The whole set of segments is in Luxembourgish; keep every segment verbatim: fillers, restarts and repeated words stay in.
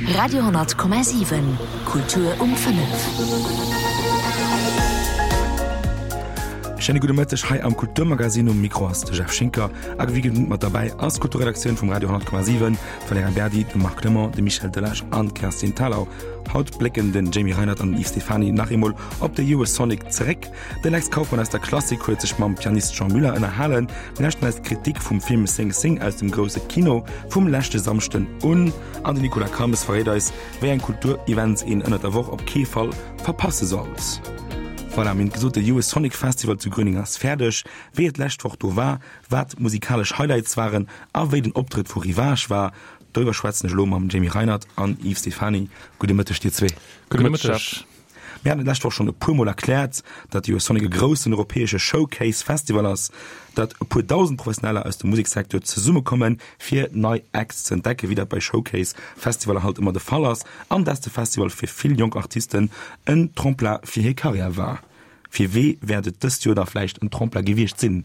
Radio honnert Komma siwen, Kultur um fënnef. Schéine gudde Mëtteg hei am Kulturmagazin. Um Mikro ass de Jeff Schinker a wéi gewinnt mat derbäi ass d'Kulturredaktioun vum Radio honnert Komma siwen, d'Valerija Berdi, de Marc Clement, de Michel Delage an d'Kerstin Thalau. Haut blécken den Jamie Reinert an den Yves Stephany nach eemol op de Eurosonic zeréck. De Lex Kauffmann aus der Klassik huet sech mam Pianist Jean Muller ënnerhalen. Mir lauschten eis d'Kritik vum Film Sing Sing aus dem grousse Kino vum leschte Samschden un. An den Nicolas Calmes verréit eis, wéi eng Kulturevents een ënnert der Woch op kee Fall verpasse sollt. Voilà, mir hunn et gesot, de Eurosonic Festival zu Gröning ass fäerdeg. Wéi et d'lescht Woch do war, wat d'musikalesch Highlights waren a wéi den Optrëtt vu Ryvage war, doriwwer schwätzen ech elo mam Jamie Reinert an Yves Stephany. Gudde Mëtteg dir zwee. Gudde Mëtteg. Mir haten et d'lescht Woch schonn e puer Mol erkläert, datt Eurosonic e groussen europäesche Showcase Festival ass, datt e puer dausend Professioneller aus dem Museksecteur zesummekommen, fir nei Acts ze entdecken, wéi dat bei Showcase Festivaller halt ëmmer de Fall ass, an datt de Festival fir vill jonk Artisten en Tremplin fir hir Karriär war. Fir wee wäert et dëst Joer da vläicht en Tremplin gewiescht sinn?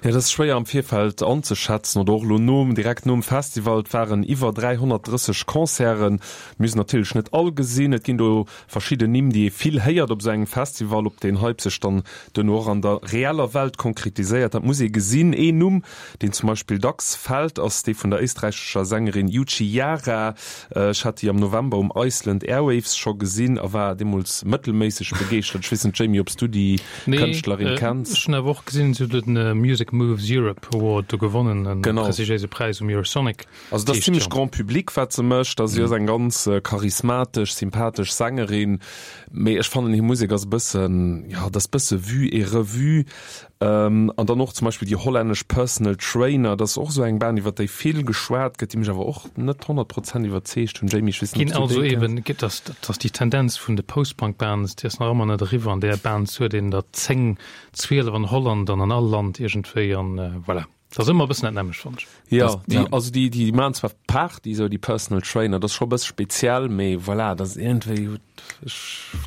Jo, dat ass schwéier am Virfeld anzeschätzen oder och elo nom, direkt nom Festival. Et waren iwwer dräihonnertdrësseg Concerten. Mir hu se natierlech net all gesinn. Et ginn do verschidden Nimm, déi ee vill héiert op esou engem Festival. Ob deen Hype sech dann duerno och an der reeller Welt konkretiséiert, dat muss ee gesinn. Een Numm, deen zum Beispill dacks fält, ass dee vun der éisträichescher Sängerin Yuchi Yara. Ech hat déi am November um Iceland Airwaves scho gesinn a war deemools mëttelméisseg begeeschtert. Ech weess net, Jamie, ob s du déi Kënschtlerin kenns? Nee, ech hunn awer och gesinn, si huet den Music Moves Europe Award do gewonnen, en prestigiéise Präis um Eurosonic. Also dat ass zimmlech Grand Public, wat se mécht. Si ass eng ganz charismatesch, sympathesch Sängerin, mee ech fannen hir Musek ass e bëssen, jo, dat ass e bësse vu et revu. An dann och zum Beispill déi hollännesch Personal Trainer, dat ass och esou eng Band, iwwer déi vill geschwat gëtt, déi mech awer och net honnert Prozent iwwerzeegt hunn. Jamie, ech weess net, ob s du déi kenns? Ginn also eben, dat ass déi Tendenz vun de Post-Punk-Bands, déi ass nach ëmmer net eriwwer. An där Bands huet een der zéng, zwielef an Holland an an all Land iergendwéi an voilà. Dat ass ëmmer e bëssen dat nämmlecht, fannen ech. Jo, déi, also déi, déi maachen zwar Party, esou déi Personal Trainer, dat ass scho e bësse speziell, mee voilà, dat ass iergendwéi, ech,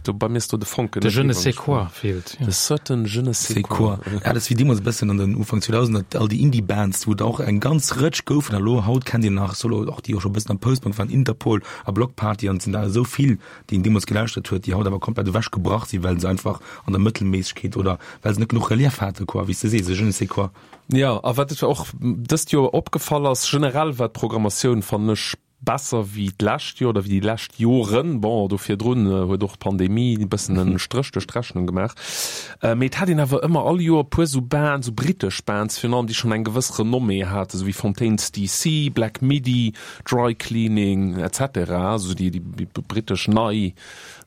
do, bei mir ass do de Fonken net. De je ne sais quoi feelt, jo. De certain je ne sais quoi. Ja, dat ass wéi deemools e bëssen an den Ufank zweedausender, all déi Indie-Bands, wou et och eng ganz Rëtsch goufen, a lo haut kennt een nach solo och déi och scho e bëssen am Post-Punk waren, Interpol a Bloc Party an et sinn der esou vill, déi een deemools gelauschtert huet, déi haut awer komplett ewechgebrach sinn, well se einfach an der Mëttelméissegkeet oder well se net genuch Relief hate quoi, wéi s de sees, e je ne sais quoi. Jo, a wat och dëst Joer opgefall ass, generell war d'Programmatioun, fannen ech, besser wéi d'lescht Joer oder wéi déi lescht Joren. Bon, do virdrun huet och d'Pandemie e bëssen en Stréch duerch d'Rechnung gemaach. Mee et hat een awer ëmmer all Joer e puer esou Bands, esou britesch Bands virun allem, déi schonn eng gewëss Renommée haten, esou wéi Fontaines D C, Black Midi, Dry Cleaning, et cetera, esou déi britesch nei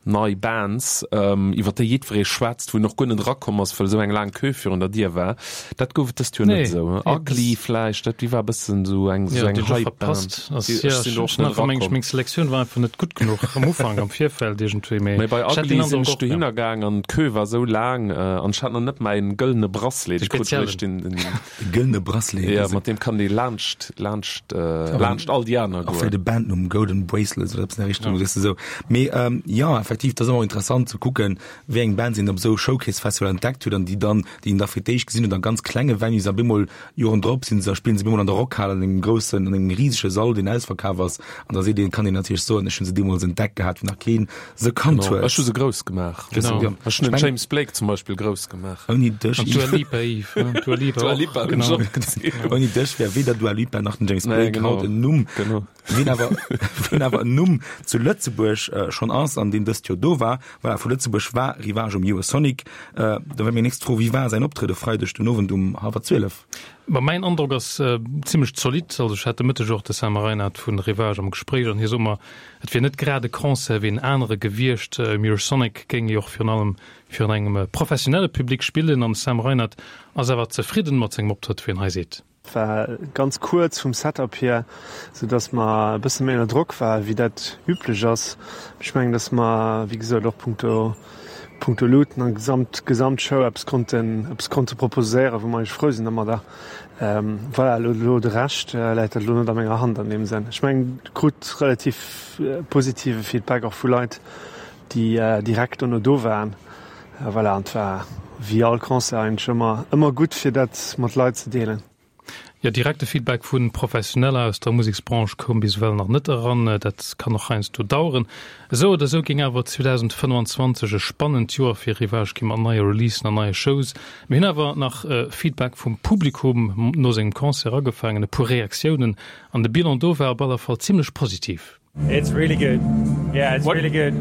nei Bands, iwwer déi jiddweree schwätzt, wou een och guer net erakomm ass, well esou eng laang Queue virun der Dier war. Dat gouf et dëst Joer net esou. Ugly vläicht, dat déi war e bëssen esou eng esou eng Hype-Band. Ech sinn do och net erakomm. Meng Selektioun war einfach net gutt genuch am Ufank, am Virfeld iergendwéi, mee bei Ugly sinn ech dohinner gaang an d'Queue war esou laang an ech hat nach net mäin gëllene Bracelet. Ech krut eréischt den. De gëllene Bracelet. Jo, mat deem kann ee laanscht, laanscht, laanscht all déi aner goen. Och fir de Bandnumm Golden Bracelets oder eppes an der Richtung, weess de sou. Mee jo, effektiv, dat ass ëmmer interessant ze kucken, wéi eng Bands een op esou Showcase-Festivaler entdeckt huet an déi dann, déi een da fir d'éischt gesinn huet a ganz klenge Venues a bemol Joren drop sinn se a spillen se bemol an der Rockhal an engem groussen, an engem risege Sall, deen ausverkaf ass. An da seet een, kann een natierlech soen, ech hunn se deemools entdeckt gehat, wéi nach keen se kannt huet. Ech hu se grouss gemaach. Genau. Ech hunn den James Blake zum Beispill grouss gemaach. Ouni dech, An d'Dua Lipa, Yves, ne? D'Dua Lipa Dua och, Lipa hunn ech genau. och gesinn. Ouni dech wär weder Dua Lipa nach den James Nee, Blake genau. haut en Numm. Genau. Wien awer, wien awer en Numm zu Lëtzebuerg schonn ass an deen dëst Joer do war, voilà, vu Lëtzebuerg war Ryvage um Eurosonic. Da wär meng nächst Fro, Wéi war säin Optrëtt e Freideg den Owend um hallwer zwielef? Ma mäin Androck ass zimmlech zolidd. Also ech hat de Mëtteg och de Sam Reinard vu Ryvage am Gespréich an hie sot mer, et wier net grad e Concert wéi en anere gewiescht. Um Eurosonic géing ee och virun allem virun engem professionelle Public spillen an de Sam Reinard ass awer zefridden mat sengem Optrëtt, wéi en hei seet. War ganz kuerz vum Setup hier, sou dass mer e bësse méi ënner Drock war wéi dat üblech ass. Ech mengen, dass mer wéi gesot och punkto punkto Luuten an gesamt gesamt Show eppes konnten eppes konnte proposéieren, wou mer eigentlech frou sinn dermadder. Voilà, elo elo de Rescht läit dat elo net a menger Hand an deem Sënn. Ech mengen, krut relativ positive Feedback och vu Leit, déi direkt dono do waren. Voilà, an et war wéi all Concert eigentlech ëmmer ëmmer gutt fir dat mat Leit ze deelen. Jo, direkte Feedback vu Professioneller aus der Museksbranche koum bis ewell nach net eran. Dat kann och heiansdo daueren. Esou oder esou géing awer zweedausendfënnefanzwanzeg e spannend Joer fir Ryvage gi mat neie Releasen an neie Shows. Mir hunn awer nach Feedback vum Publikum no sengem Concert agefaangen, e puer Reaktiounen, an de Bilan do war op alle Fall zimmlech positiv. It's really good. Yeah, it's really good.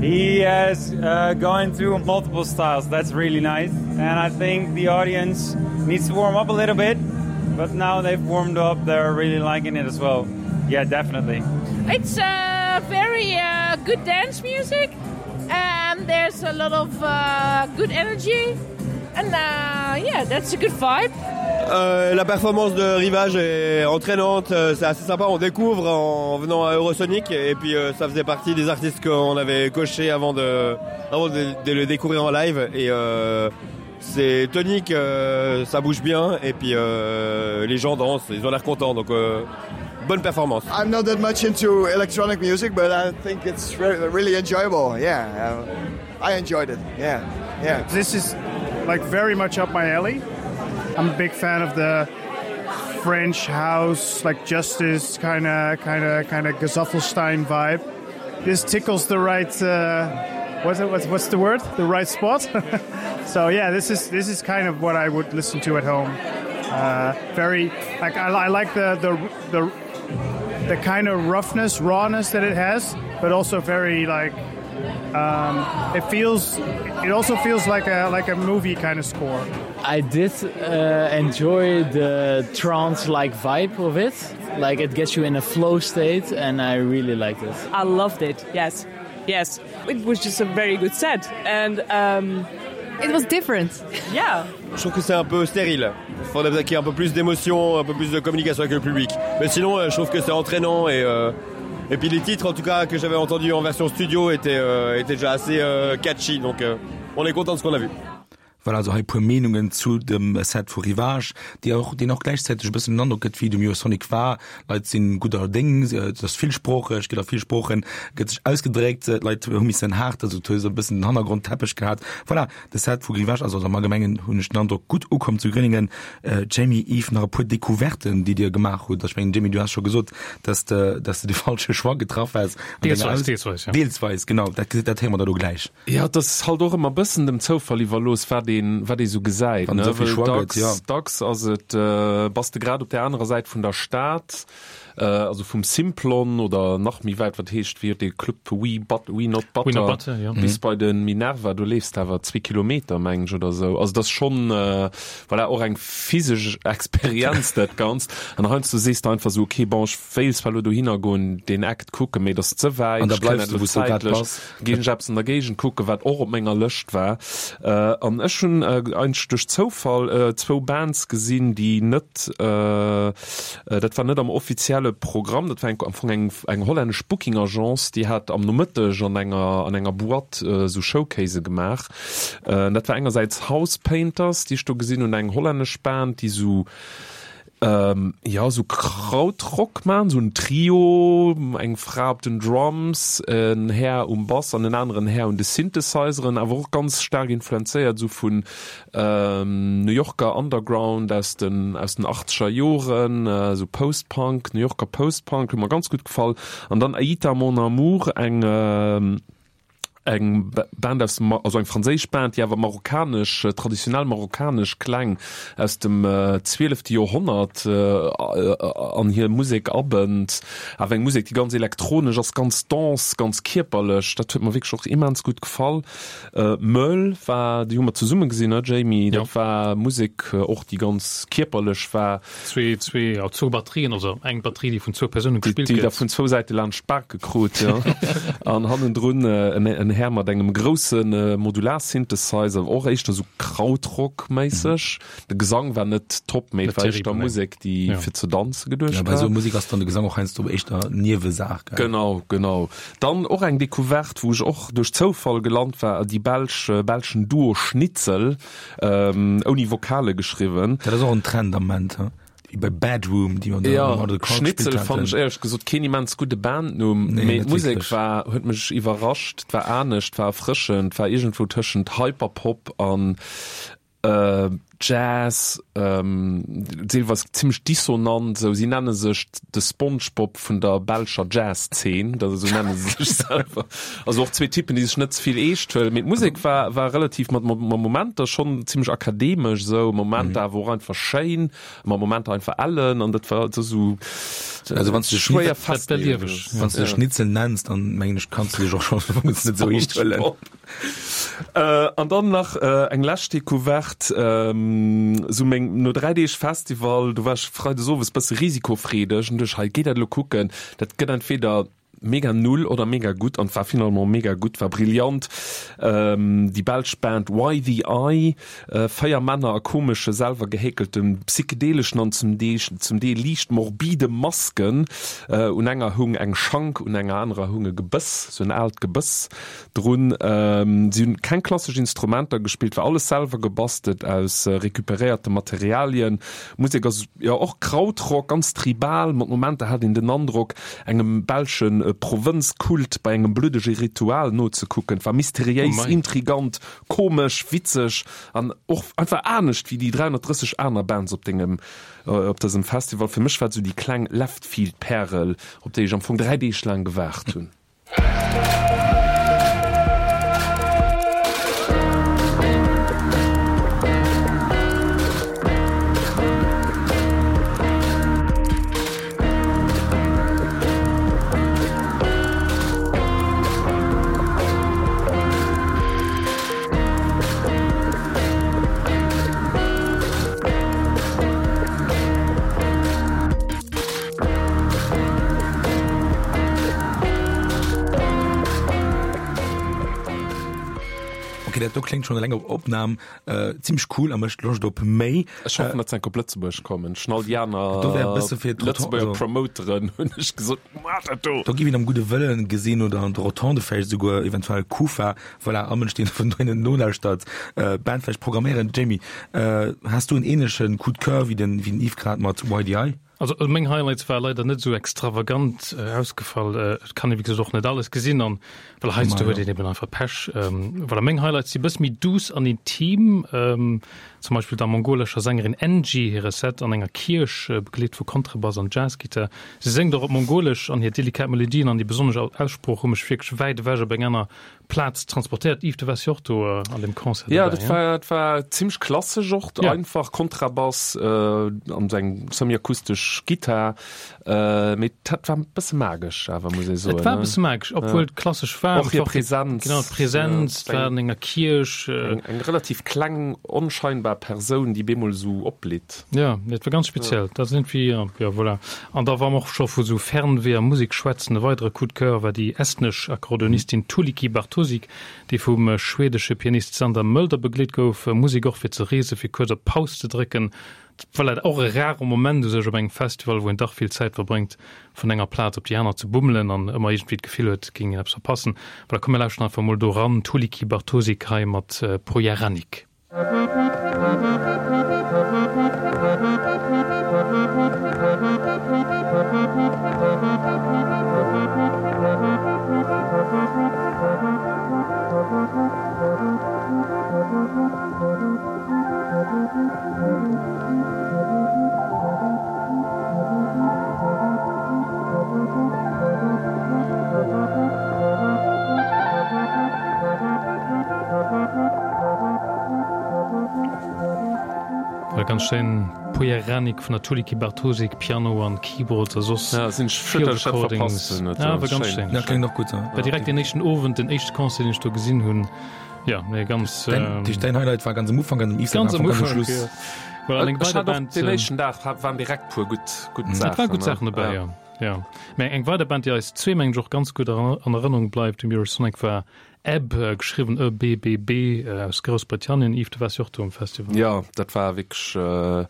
He has uh, going through multiple styles. That's really nice. And I think the audience needs to warm up a little bit, but now they've warmed up, they're really liking it as well. Yeah, definitely. It's uh, very uh, good dance music and there's a lot of uh, good energy and uh, yeah, that's a good vibe. Euh, la performance de Rivage est entraînante, euh, c'est assez sympa, on découvre en venant à Eurosonic et puis euh, ça faisait partie des artistes qu'on avait coché avant de, avant de, de le découvrir en live et euh, c'est tonique, euh, ça bouge bien et puis euh, les gens dansent, ils ont l'air contents donc euh, bonne performance. I'm not that much into electronic music, but I think it's re really enjoyable. Yeah, uh, I enjoyed it. Yeah, yeah. This is like very much up my alley. I'm a big fan of the French house, like justice kind of kind of kind of Gesaffelstein vibe. This tickles the right uh, what's, it, what's, what's the word? The right spot. So yeah, this is this is kind of what I would listen to at home. Uh, very like I, I like the the the the kind of roughness, rawness that it has, but also very like um, it feels it also feels like a like a movie kind of score. I did uh, enjoy the trance-like vibe of it. Like it gets you in a flow state and I really liked it. I loved it. Yes. Yes. It was just a very good set and um, it was different. Yeah. Je trouve que c'est un peu stérile. Il faudrait peut-être qu'il y ait un peu plus d'émotion, un peu plus de communication avec le public. Mais sinon, euh, je trouve que c'est entraînant et euh, et puis les titres en tout cas que j'avais entendu en version studio étaient, euh, étaient déjà assez euh, catchy donc euh, on est content de ce qu'on a vu. Voilà also hei puer Meenungen zu dem Set vu Ryvage, déi och, deen och gläichzäiteg e bëssen den Androck gëtt, wéi de Eurosonic war. Leit sinn gudder Déng, et ass villsproocheg, gëtt a vill Sproochen, gëtt sech ausgedréckt, d'Leit hu missen haart, also et huet esou e bëssen den Hannergrondteppech gehat. Voilà, de Set vu Ryvage ass also am Allgemengen, hunn ech den Androck, gutt ukomm zu Grüningen. Jamie, Yves, nach e puer Decouverten, déi Dir gemaach hutt. Ech mengen, Jamie, du has scho gesot, dass de, dass de de falsche Choix getraff häss an denger Deelsweis, Aus. deelsweis, ja. Deelsweis, genau, dat, dat héiere mer da lo gläich. Jo, et ass halt och ëmmer e bëssen dem Zoufall iwwerlooss, wat een, wat ee sou gesäit, Wann ne? esou vill Well Choix gëtt, dacks, jo. dacks ass et, bass de grad op där anerer Säit vun der Stad, also vum Simplon oder nach méi wäit, wat heescht, wéi huet dee Club, We But, We Not We Not Butter, Butter, jo. bis bei de Minerva, do leefs de awer zwee Kilometer, meng ech, oder sou. Also et ass schonn, voilà, och eng physesch Experienz, dat Ganzt. An heiansdo sees de einfach sou, okay, bon, ech wéilt zwar elo dohinner goen, deen Act kucken, mee et ass ze wäit, An da ech kënn bleifs net du, elo wou s du grad zäitlech, bass. ginn ech eppes an der Géigend kucken, wat och op menger Lëscht war. An ech hunn eigentlech duerch Zoufall zwou Bands gesinn, déi net, dat war net am offizielle Programm, dat war eng, am Fong eng, eng hollännesch Booking Agence, déi hat am Nomëtteg an enger, an enger Boîte esou Showcasë gemaach. Dat war engersäits House Painters, déi ech do gesinn hunn, eng hollännesch Band, déi esou, jo, esou Krautrock maachen, esou en Trio, eng Fra op den Drums, en Här um Bass an en aneren Här un de Synthesizeren, awer och ganz staark influenzéiert esou vun New Yorker Underground aus den aus den achtzeger Joren, esou Post-Punk, New Yorker Post-Punk, huet mer ganz gutt gefall. An dann Aïta mon amour, eng eng Band aus dem, also eng franséisch Band, déi awer marokkanesch, traditionell marokkanesch Kläng aus dem zwielefte Joerhonnert an hir Musek abënnt. Awer eng Musek, déi ganz elektronesch ass, ganz dense, ganz kierperlech. Dat huet mer wierklech och immens gutt gefall. Möll war, déi hu mer zesumme gesinn, ne Jamie? Jo. Dat war Musek och, déi ganz kierperlech war. Zwee, zwee, ja, zwou Batterien, also eng Batterie, déi vun zwou Persoune gespillt Déi gëtt. der vun zwou Säite laanscht d'Bake krut, jo. An hannendrun en, en Här mat engem grousse Modular-Synthesizer, och éischter sou Krautrock-méisseg. De Gesang war net top, mee et Net war éischter terribel, nee. Musek, déi Ja. fir ze danze geduecht Ja, bei war. esou Musek ass dann de Gesang och heiansdo éischter Niewesaach, gell? Genau, genau. Dann och eng Decouverte, wou ech och duerch Zoufall gelant war, déi belsch, belschen Duo Schnitzel, ouni Vokale geschriwwen. Dat ass och en Trend am Moment, he? Wéi bei Bedroom, déi mer Ja, am Out of the Crowd Schnitzel gespillt fannen ech haten. éierlech gesot keen immens gudde Bandnumm, Nee, mee net d'Musek wierklech. war, huet mech iwwerrascht, 't war anescht, 't war erfrëschend, 't war iergendwou tëschent Hyperpop an Jazz, deelweis zimmlech dissonant esou. Si nenne sech de Spongebob vun der belscher Jazz-Zeen, dat esou nenne se sech selwer. Also och zwee Typen, déi sech net ze vill eescht huelen. Mee d'Musek war, war relativ mat Momenter schonn zimmlech akademesch esou, Momenter awer och einfach schéin, mat Momenter einfach ellen an dat war esou Also wann s du schwéier Schnitzel, festleeën. wann s du Schnitzel nenns, dann mengen ech kanns du dech och schonn net esou eescht huelen. An dann nach eng lescht Decouverte, sou meng, no dräi Deeg Festival, do war ech freides owes bësse risikofreedeg an duecht, hei, géi dat elo kucken, dat gëtt entweder mega null oder mega gutt an war finalement mega gutt, war brillant. Déi belsch Band Why The Eye, véier Männer a komesche selwer gehäkelten, psychedeleschen an zum Deel zum Deel liicht morbide Masken. Un enger hung eng Schank, un enger anerer hung e Gebëss, sou en aalt Gebëss drun. Si hunn keng klassesch Instrumenter gespillt, war alles selwer gebastelt aus recuperéierte Materialien. D'Musek ass jo och Krautrock, ganz tribal, mat Momenter hat een den Androck, engem belsche Provënzkult bei engem bluddege Ritual nozekucken. Et war mysteriéis, intrigant, komesch, witzeg an och einfach anescht wéi déi dräihonnertdrësseg aner Bands op dengem op dësem Festival. Fir mech war et sou déi kleng Leftfield-Pärel, op déi ech am Fong dräi Deeg laang gewaart hunn. Okay, dat do kléngt schon eleng op Opnahm äh, ziemlech cool a mécht Loscht op méi. Ech hoffen, datt se enk op Lëtzebuerg kommen. Schon all déi aner Do wär e bësse fir Lëtzebuerger also, Promoteren hunn ech gesot, Maacht dat do! Do giff een am gudde Wëllen gesinn oder an der Rotonde vläicht esouguer, eventuell Kufa, voilà, all Mënsch deen vun dohinnen nolauschtert, äh, Band vläicht programméieren. Jamie, äh, has du en ähnlechen Coup de Coeur wéi den, wéi den Yves grad mat Y D I? Also meng Highlights war leider net sou extravagant ausgefall. Et kann ee wéi gesot och net alles gesinn an well heiansdo huet een eben einfach Pech. Voilà, meng Highlights si bësse méi duuss an intim, zum Beispill der mongolescher Sängerin Enji hire Set an enger Kierch, begleet vu Kontrebass an Jazzgittar. Si séngt och op Mongolesch an hir delikat Melodien an déi besonnesch Aussprooch hu mech wierklech wäit ewech op eng aner Plaz transportéiert. Yves, du waars jo och do an deem Concert Ja, dobäi, dat war, dat war zimmlech klassesch och, Ja. einfach Kontrabass an sou eng semi-akustesch Gittar, mee dat war e bësse magesch awer, muss ee soen, Et war e ne? bësse magesch, obwuel Ja. et klassesch war. Och hir Präsenz. Genau, d'Präsenz, Ja, et war an enger Kierch. Eng, eng relativ kleng, onscheinbar Persoun, déi bemol sou opblitt. Ja, dat war ganz speziell. Dat ass iergendwéi, ja, ja, voilà. An da wa mer och scho vu sou Fernweh a Musek schwätzen, e weidere Coup de Coeur war déi estnesch Akkordeonistin Tuulikki Bartosik, déi vum schwedesche Pianist Sander Mölder begleet gouf. Musek och fir ze reesen, fir kuerz op Paus ze drécken. Voilà, och e rare Moment u sech op engem Festival, wou een dach vill Zäit verbréngt, vun enger Plaz op déi aner ze bummelen an ëmmer iergendwéi d'Gefill huet, et géing een eppes verpassen. Voilà, komm mir lauschteren einfach mol do eran, Tuulikki Bartosik hei mat Pojaranik. War ganz schéin, Pojaranik vun der Tuulikki Bartosik, Piano an Keyboards a soss Ja, sinn ech schued, Field dass ech dat Recordings. verpasst hunn. Dat Ja, war war ganz schéin. schéin. Ja, kléngt och gutt, ja. War direkt deen éischten Owend, den éischte Concert, deen ech do gesinn hunn. Ja, nee, ganz. Dein, ähm, dein Highlight war ganz am Ufank an dem Yves ganz am ganz am Ufank, Schluss. ja. Voilà, an eng Ech weider hat och Band, den ähm, éischten Dag waren direkt puer gutt, gutt Et Saachen. war gutt ne? Saachen dobäi, Ja. ja. Ja. Mä eng weider Band, déi eis zwee mengen ech och ganz gutt an Erënnerung bleift um Eurosonic war Ebb, geschriwwen E B B B, aus Groussbritannien. Yves, du waars jo och do um Festival. Jo, dat war wierklech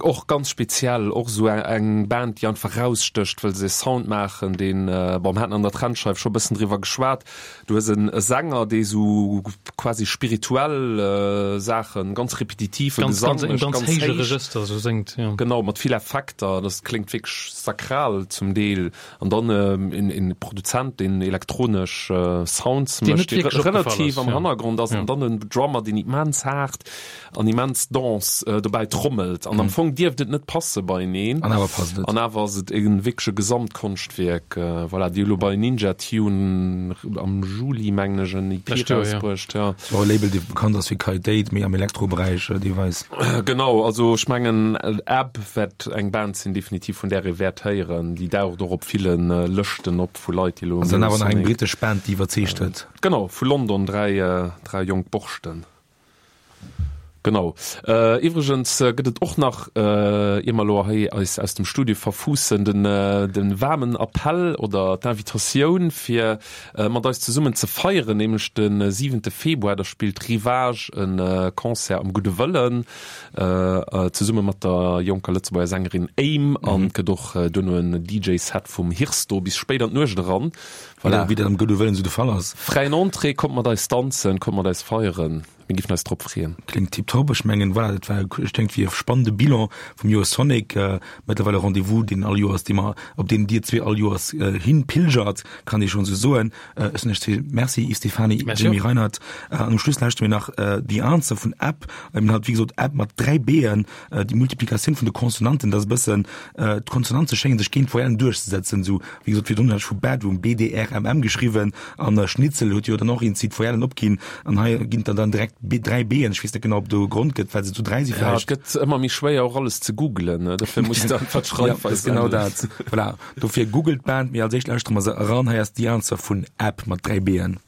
och ganz speziell. Och esou eng Band, déi einfach erausstécht, well se e Sound maachen, deen, bon, mir haten an der Trendscheif scho e bëssen driwwer geschwat. Du hues e Sänger, dee sou quasi spirituell Saachen, ganz repetitive Ganz, Gesang ganz, en mécht, ganz ganz héije héich. Regëster sou séngt, jo. Genau, mat vill Effekter. Dat kléngt wierklech sakral zum Deel. An dann een Produzent, deen elektronesch. Sounds Deen mécht, net dee wierklech opgefall relativ ass, am ja. Hannergrond ass, Ja. an dann en Drummer, deen immens haart an immens dense dobäi trommelt. An am Fong dierft et net passe beieneen. An awer passt et. An awer ass et e wierkleche Gesamtkonschtwierk. Voilà, déi hu lo bei Ninja Tune am Juli, mengen ech, en E P Lescht Joer, ja. rausbruecht, ja. Ass och e Label, dee bekannt ass fir Qualitéit, méi am Elektroberäich deelweis. Genau, also ech mengen Ebb wäert eng Band sinn definitiv vun där ee wäert héieren. Déi daucht och op ville Lëschten op vu Leit, déi elo An dann awer nach eng Eurosonic. britesch Band, déi iwwerzeegt huet. Genau, vu London, dräi, dräi jonk Borschten. Genau. Iwwregens gëtt et och nach, ier mer elo hei eis aus dem Studio verfuussen, den, den waarmen Appell oder d'Invitatioun fir mat eis zesummen ze feieren, nämlech de siwente Februar, da spillt Rivage e Concert am Gudde Wëllen zesumme mat der jonker Lëtzebuerger Sängerin Aim an et gëtt och duerno en D J Set vum Hirsto bis spéit an d'Nuecht eran. Voilà. Wéi dat am Gudde Wëllen esou de Fall ass. Fräien Entrée, kommt mat eis danzen, kommt mat eis feieren. Mir giffen eis drop freeën. Kléngt tiptop. Ech mengen, voilà, dat war, ech denken, wéi e spannende Bilan vum Joer Sonic. Mëttlerweil e Rendez-vous, deen all Joers, dee mer, op deen Dir zwee all Joers hinpilgert, kann ee schonn esou soen. Ech soen Iech zwee Merci, Yves Stephany, Merci Jimmy och. Reinert. An um Schluss lauschteren mir nach The Answer vun Ebb. Eben halt, wéi gesot, Ebb mat dräi B'en. Déi Multiplikatioun vun de Konsonanten, dat ass e bëssen, d'Konsonante schéngen sech géint d'Voyellen duerchzesetzen. Esou, wéi gesot, virdrun hat ech vu Bedroom, B D R M M geschriwwen an Schnitzel huet jo dann och een d'Voyellen opginn an hei ginn dann dann direkt B, dräi B'en. Ech weess net genau, ob do e Grond gëtt, well se zu dräi si Ja, vläicht. et gëtt ëmmer méi schwéier och alles ze googlen, ne? Dofir muss de einfach Ja, d'Schreifweis dat ass genau änneren. dat. Voilà. Dofir googelt d'Band, mee als éischt lauschtere mer se eran. Hei ass The Answer vun Ebb mat dräi B'en.